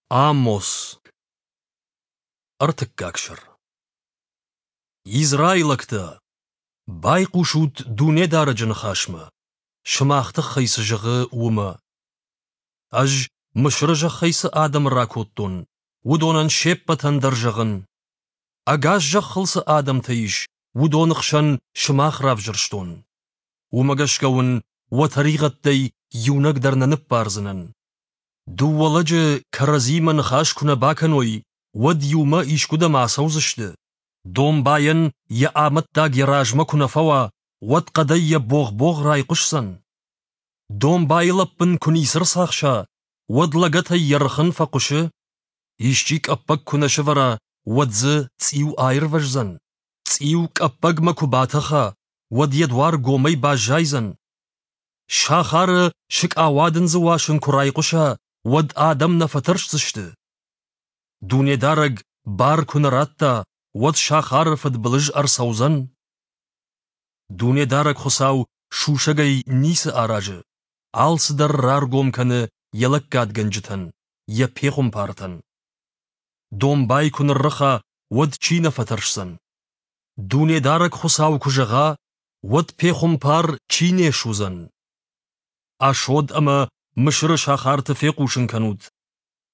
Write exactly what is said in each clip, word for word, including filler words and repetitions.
Амос. Ӕртыккаг сӕр. Израилӕгтӕ, байхъусут Дунедарӕджы ныхасмӕ, сымах тыххӕй цы зӕгъы, уымӕ. Ӕз Мысыры зӕххӕй цы адӕмы ракодтон, уыдонӕн се ппӕтӕн дӕр зӕгъын: ӕгас зӕххыл цы адӕмтӕ ис, уыдоны хсӕн сымах равзӕрстон. Уымӕ гӕсгӕ уын уӕ тӕригъӕдтӕй иунӕг дӕр нӕ ныббардзынӕн. Дыууӕ лӕджы кӕрӕдзиимӕ ныхас куы нӕ бакӕной, уӕд иумӕ искуыдӕм ацӕудзысты? Домбайӕн йӕ амӕттаг йӕ размӕ куы нӕ фӕуа, уӕд хъӕдӕй йӕ богъ-богъ райхъуысдзӕн? Домбайы лӕппын куы ницы рцахса, уӕд лӕгӕтӕй йӕ рыхын фӕхъуысы? Исчи къӕппӕг куы нӕ сӕвӕра, уӕд дзы цъиу аирвӕздзӕн? Цъиу къӕппӕгмӕ куы батӕха, уӕд йӕ дуар гомӕй баззайдзӕн? Сахары сыкъауадындзы уасын куы райхъуыса, уӕд адӕм нӕ фӕтӕрсдзысты? Дунедарӕг бар куы нӕ радта, уӕд сахары фыдбылыз ӕрцӕудзӕн? Дунедарӕг Хуыцау сусӕгӕй ницы аразы, алцыдӕр раргом кӕны йӕ лӕггадгӕнджытӕн, йӕ пехуымпартӕн. Домбай куы ныррыха, уӕд чи нӕ фӕтӕрсдзӕн? Дунедарӕг Хуыцау куы зӕгъа, уӕд пехуымпар чи не суыдзӕн? Ашдод ӕмӕ Мысыры сахарты фехъусын кӕнут.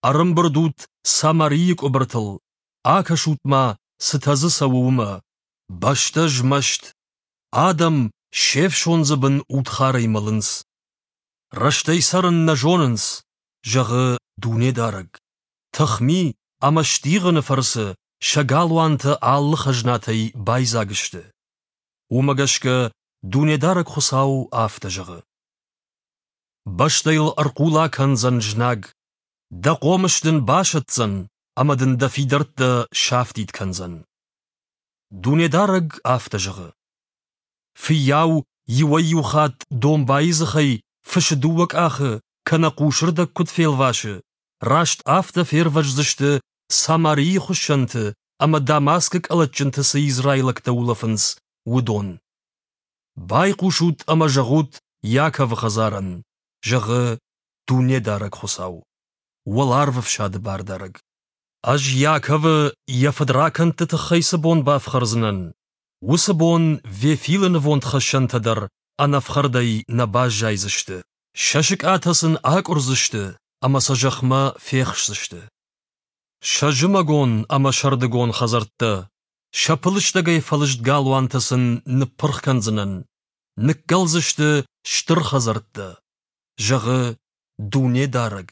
Ӕрӕмбырд ут Самарийы къуыбыртыл, акӕсут-ма, цытӕ дзы цӕуы, уымӕ. Бӕстӕ змӕст, адӕм се фсондзы бын удхарӕй мӕлынц. Рӕстӕй цӕрын нӕ зонынц, зӕгъы Дунедарӕг. Тыхми ӕмӕ стигъыны фӕрцы сӕ галуантӕ алы хӕзнатӕй байдзаг сты. Уымӕ гӕсгӕ Дунедарӕг Хуыцау афтӕ зӕгъы: Бӕстӕ йыл ӕрхъула кӕндзӕн знаг, дӕ хъомыс дын басӕтдзӕн ӕмӕ дын дӕ фидӕрттӕ сафтид кӕндзӕн. Дунедарӕг афтӕ зӕгъы: Фыййау иуӕй-иу хатт домбайы дзыхӕй фысы дыууӕ къахы кӕнӕ хъусырдӕг куыд фелвасы, раст афтӕ фервӕздзысты Самарийы хуыссӕнты ӕмӕ Дамаскы къӕлӕтджынты цы израилӕгтӕ улӕфынц, уыдон. Байхъусут ӕмӕ зӕгъут Иаковы хӕдзарӕн, зӕгъы Дунедарӕг Хуыцау, Уӕларвӕфсады Бардарӕг. Ӕз Иаковы йӕ фыдракӕндты тыххӕй цы бон бафхӕрдзынӕн, уыцы бон Вефилы нывондхӕссӕнтӕ дӕр ӕнӕфхӕрдӕй нӕ баззайдзысты. Сӕ сыкъатӕ сын акъуырдзысты ӕмӕ сӕ зӕхмӕ фехсдзысты. Сӕ зымӕгон ӕмӕ сӕрдыгон хӕдзӕрттӕ, сӕ пылыстӕгӕй фӕлыст галуантӕ сын ныппырх кӕндзынӕн, ныккӕлдзысты стыр хӕдзӕрттӕ, зӕгъы Дунедарӕг.